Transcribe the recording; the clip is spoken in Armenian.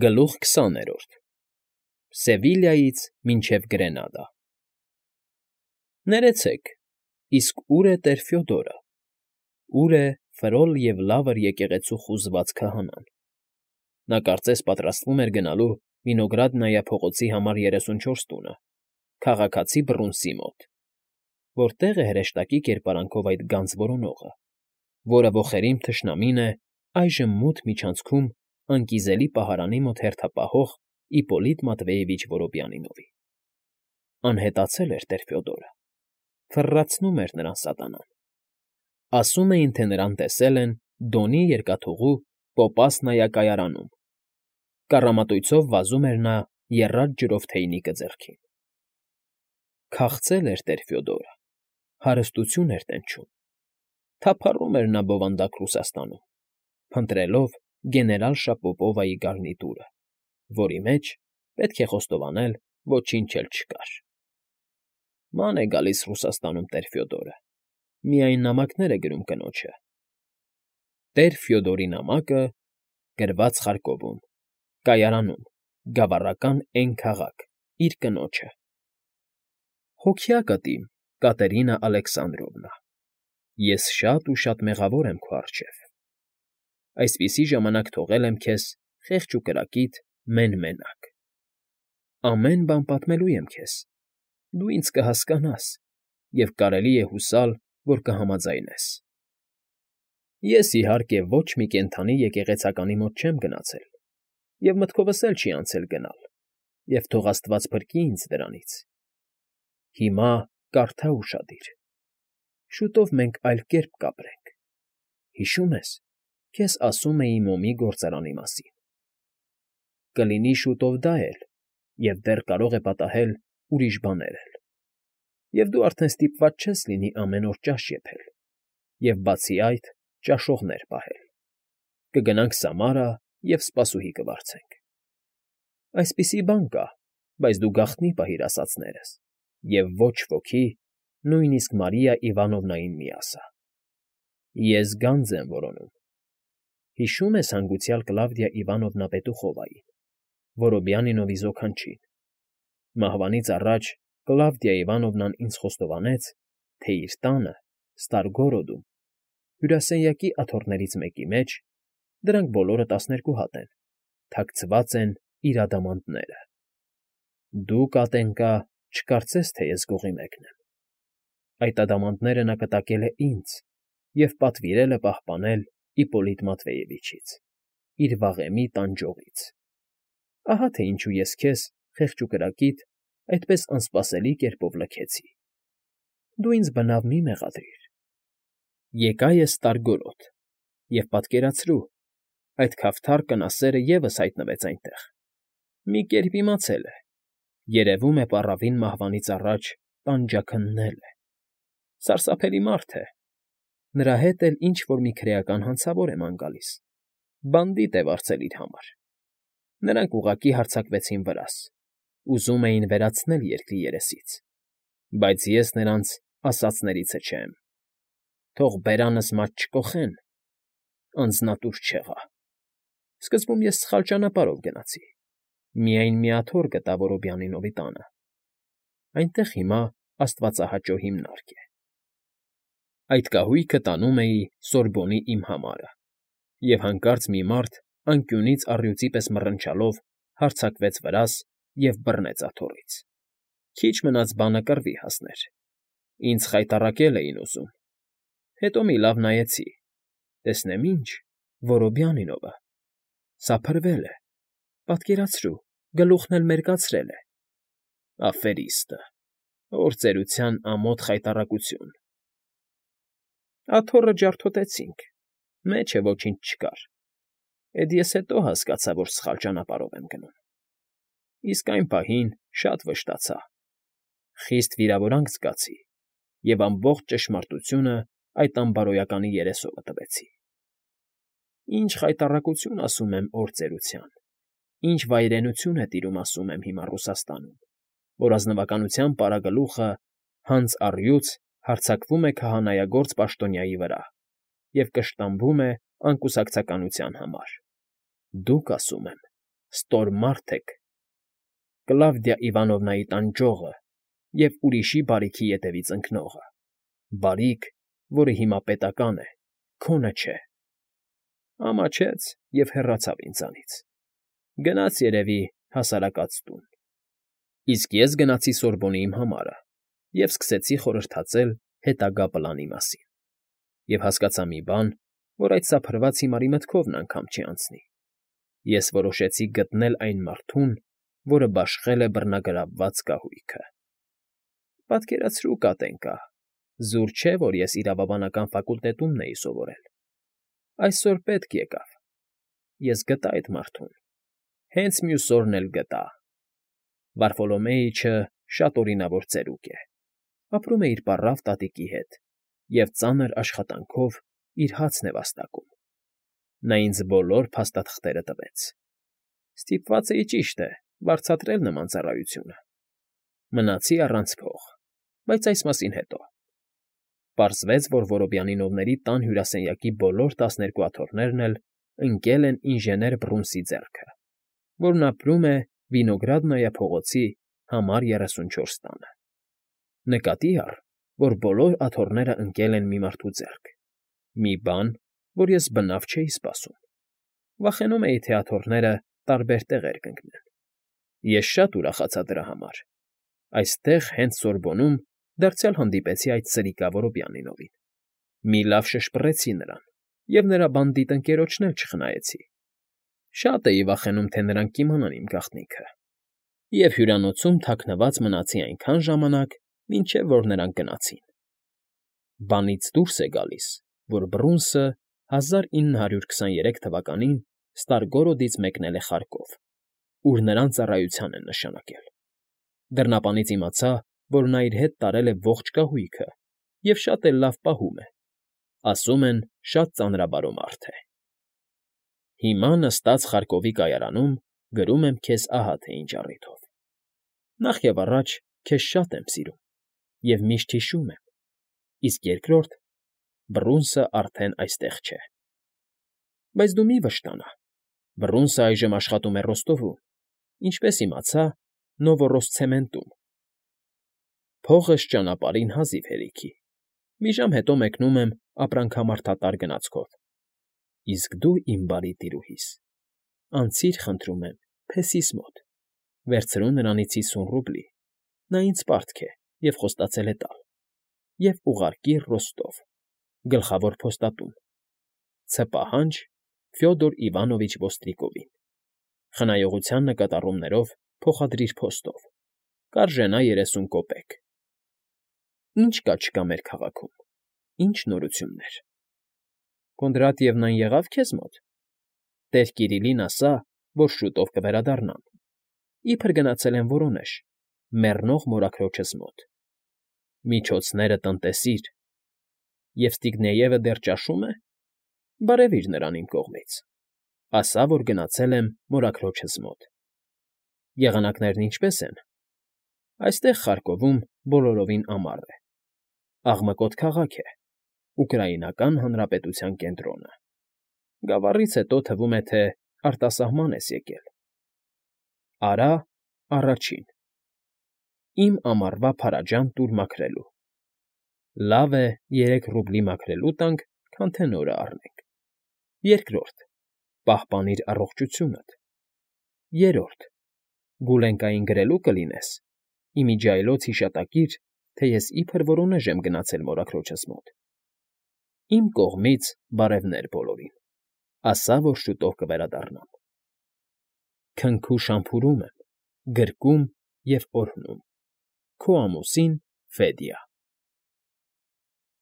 Գլուխ 20-րդ Սևիլիայից մինչև Գրենադա Ներեցեք, իսկ ո՞ւր է տեր Ֆյոդորը, ո՞ւր է Ֆրոլ և Լավր եկեղեցու խուզված քահանան։ Նա կարծես պատրաստվում էր գնալու Վինոգրադնայա փողոցի համար 34 տունը, քաղաքացի Բռունցի մոտ, որտեղ է հրեշտակի կերպարանքով այդ գանձ որոնողը, որը ոխերիմ թշնամին է այժմ մութ միջանցքում անկիզելի պահարանի մոտ հերթապահող Իպոլիտ Մատվեևիչ Որոբյանինովի։ Անհետացել էր տեր Ֆյոդորը, ֆռռացնում էր նրան սատանան։ Ասում էին, թե նրան տեսել են Դոնի երկաթուղու Պոպասնայա կայարանում, կառամատույցով վազում էր նա եռած ջրով թեյնիկը ձեռքին։ Քաղցել էր տեր Ֆյոդորը, հարստություն էր տենչում, թափառում էր նա բովանդակ Ռուսաստանում, փնտրելով գեներալ Շապոպովայի գարնիտուրը, որի մեջ, պետք է խոստովանել, ոչինչ էլ չկար։ Ման է գալիս Ռուսաստանում տեր Ֆյոդորը, միայն նամակներ է գրում կնոջը։ Տեր Ֆյոդորի նամակը գրված Խարկովում, կայարանում, գավառական Էն քաղաք, իր կնոջը։ Հոգյակդ իմ, Կատերինա Ալեքսանդրովնա, ես շատ ու շատ մեղավոր եմ քո առջև։ Այսպիսի ժամանակ թողել եմ քեզ խեղճ ու կրակիտ մեն֊մենակ։ Ամեն բան պատմելու եմ քեզ, դու ինձ կհասկանաս, և կարելի է հուսալ, որ կհամաձայնես։ Ես, իհարկե, ոչ մի կենդանի եկեղեցականի մոտ չեմ գնացել, և մտքովս էլ չի անցել գնալ, և թող աստված փրկի ինձ դրանից։ Հիմա կարդա ուշադիր. շուտով մենք այլ կերպ կապրենք, հիշո՞ւմ ես, քեզ ասում էի մոմի գործարանի մասին։ Կլինի շուտով դա էլ, և դեռ կարող է պատահել ուրիշ բաներ էլ, և դու արդեն ստիպված չես լինի ամեն օր ճաշ եփել, և, բացի այդ, ճաշողներ պահել։ Կգնանք Սամարա և սպասուհի կվարձենք։ Այսպիսի բան կա, բայց դու գաղտնի պահիր ասածներս և ոչ ոքի, նույնիսկ Մարիա Իվանովնային մի ասա։ Ես գանձ եմ որոնում։ Հիշո՞ւմ ես հանգուցյալ Կլավդիա Իվանովնա Պետուխովային, Որոբյանինովի զոքանչին։ Մահվանից առաջ Կլավդիա Իվանովնան ինձ խոստովանեց, թե իր տանը, Ստարգորոդում, հյուրասենյակի աթոռներից մեկի մեջ, դրանք բոլորը 12 հատ են, թաքցված են իր ադամանդները։ Դու, կատենկա, չկարծես, թե ես գողի մեկն եմ։ Այդ ադամանդները նա կտակել է ինձ և պատվիրել է պահպանել Իպոլիտ Մատվեևիչից, իր վաղեմի տանջողից։ Ահա թե ինչու ես քեզ, խեղճ ու կրակիտ, այդպես անսպասելի կերպով լքեցի։ Դու ինձ բնավ մի մեղադրիր։ Եկա ես Ստարգորոդ, և պատկերացրու, այդ քավթար կնասերը ևս հայտնվեց այնտեղ։ Մի կերպ իմացել է, երևում է պառավին մահվանից առաջ տանջաքննել է։ Սարսափելի մարդ է։ Նրա հետ էլ ինչ֊որ մի քրեական հանցավոր է ման գալիս, բանդիտ է վարձել իր համար։ Նրանք ուղղակի հարձակվեցին վրաս, ուզում էին վերացնել երկրի երեսից, բայց ես նրանց ասածներիցը չեմ։ Թող բերանս մատ չկոխեն, անձնատուր չեղա։ Սկզբում ես սխալ ճանապարհով գնացի, միայն մի աթոռ գտա Որոբյանինովի տանը։ Այնտեղ հիմա աստվածահաճո հիմնարկ է։ Այդ կահույքը տանում էի Սորբոնի իմ համարը, և հանկարծ մի մարդ անկյունից առյուծի պես մռնչալով հարձակվեց վրաս և բռնեց աթոռից։ Քիչ մնաց բանը կռվի հասներ։ Ինձ խայտառակել էին ուզում։ Հետո մի լավ նայեցի, տեսնեմ ինչ, Որոբյանինովը։ Սափրվել է, պատկերացրու, գլուխն էլ մերկացրել է։ Աֆերիստը, օր ծերության ամոթ խայտառակություն։ Աթոռը ջարդոտեցինք, մեջը ոչինչ չկար։ Էդ ես հետո հասկացա, որ սխալ ճանապարհով եմ գնում։ Իսկ այն պահին շատ վշտացա, խիստ վիրավորանք զգացի և ամբողջ ճշմարտությունը այդ անբարոյականի երեսովը տվեցի։ Ինչ խայտառակություն, ասում եմ, օր ծերության, ինչ վայրենություն է տիրում, ասում եմ, հիմա Ռուսաստանում, որ ազնվականության պարագլուխը հանց առյուծ հարձակվում է քահանայագործ պաշտոնյայի վրա և կշտամբում է անկուսակցականության համար։ Դուք, ասում եմ, ստոր մարդ եք, Կլավդիա Իվանովնայի տանջողը և ուրիշի բարիքի ետևից ընկնողը, բարիք, որը հիմա պետական է, քոնը չէ։ Ամաչեց և հեռացավ ինձանից, գնաց երևի հասարակած տուն։ Իսկ ես գնացի Սորբոնի իմ համարը և սկսեցի խորհրդածել հետագա պլանի մասին, և հասկացա մի բան, որ այդ սափրված հիմարի մտքովն անգամ չի անցնի. ես որոշեցի գտնել այն մարդուն, որը բաշխել է բռնագրավված կահույքը։ Պատկերացրու, Կատենկա, զուր չէ, որ ես իրավաբանական ֆակուլտետումն էի սովորել։ Այսօր պետք եկավ։ Ես գտա այդ մարդուն, հենց մյուս օրն էլ գտա։ Վարֆոլոմեիչը շատ օրինավոր ծերուկ է, ապրում է իր պառավ տատիկի հետ և ծանր աշխատանքով իր հացն է վաստակում։ Նա ինձ բոլոր փաստաթղթերը տվեց։ Ստիպված էի, ճիշտ է, վարձատրել նման ծառայությունը։ Մնացի առանց փող, բայց այս մասին հետո։ Պարզվեց, որ Որոբյանինովների տան հյուրասենյակի բոլոր 12 աթոռներն էլ ընկել են ինժեներ Բռունսի ձեռքը, որն ապրում է Վինոգրադնայա փողոցի համար 34 տանը։ Նկատի առ, որ բոլոր աթոռները ընկել են մի մարդու ձեռք, մի բան, որ ես բնավ չէի սպասում։ Վախենում էի, թե աթոռները տարբեր տեղեր կընկնեն։ Ես շատ ուրախացա դրա համար։ Այստեղ, հենց Սորբոնում, դարձյալ հանդիպեցի այդ սրիկա Որոբյանինովին։ Մի լավ շշպռեցի նրան և նրա բանդիտ ընկերոջն էլ չխնայեցի։ Շատ էի վախենում, թե նրանք կիմանան իմ գաղտնիքը, և հյուրանոցում թաքնված մնացի այնքան ժամանակ, մինչև որ նրանք գնացին։ Բանից դուրս է գալիս, որ Բռունսը 1923 թվականին Ստարգորոդից մեկնել է Խարկով, ուր նրան ծառայության են նշանակել։ Դռնապանից իմացա, որ նա իր հետ տարել է ողջ կահույքը և շատ էլ լավ պահում է։ Ասում են, շատ ծանրաբարո մարդ է։ Հիմա նստած Խարկովի կայարանում գրում եմ քեզ ահա թե ինչ առիթով։ Նախ և առաջ քեզ շատ եմ սիրում և միշտ հիշում եմ, իսկ երկրորդ, Բռունսը արդեն այստեղ չէ։ Բայց դու մի վշտանա, Բռունսը այժմ աշխատում է Ռոստովում, ինչպես իմացա, Նովոռոսցեմենտում։ Փողս ճանապարհին հազիվ հերիքի, մի ժամ հետո մեկնում եմ ապրանքամարտատար գնացքով։ Իսկ դու, իմ բարի տիրուհիս, անցիր, խնդրում եմ, փեսիս մոտ, վերցրու նրանից 50 ռուբլի, նա ինձ պարտք է և խոստացել է տալ, և ուղարկիր Ռոստով, գլխավոր փոստատուն։ Ցպահանջ Ֆյոդոր Իվանովիչ Ոստրիկովին։ Խնայողության նկատառումներով փոխադրիր փոստով։ Կարժենա 30 կոպեկ։ Ինչ կա չկա մեր քաղաքում, ինչ նորություններ։ Կոնդրատիևնան եղա՞վ քեզ մոտ։ Տեր Կիրիլին ասա, որ շուտով կվերադառնամ։ Իբր գնացել են Որոնեժ, մեռնող մորաքրոջս մոտ։ Միջոցները տնտեսիր։ Եվստիգնեևը դեռ ճաշում է։ Բարևիր նրան իմ կողմից։ Ասա, որ գնացել եմ մորաքրոջս մոտ։ Եղանակներն ինչպե՞ս են։ Այստեղ Խարկովում բոլորովին ամառ է։ Աղմկոտ քաղաք է, Ուկրաինական Հանրապետության կենտրոնը։ Գավառից հետո թվում է, թե արտասահման ես եկել։ Արա առաջին։ Իմ ամառվա փարաջան տուր մաքրելու։ Լավ է 3 ռուբլի մաքրելու տանք, քան թե նորը առնենք։ Երկրորդ. պահպանիր առողջությունդ։ Երրորդ. Գուլենկային գրելու կլինես։ Իմիջիայլոց հիշատակիր, թե ես իբր Որոնեժ եմ գնացել մորաքրոջս մոտ։ Իմ կողմից բարևներ բոլորին։ Ասա, որ շուտով կվերադառնամ։ Քնքուշամփուրում եմ, գրկում և օրհնում։ Քո ամուսին Ֆեդիա։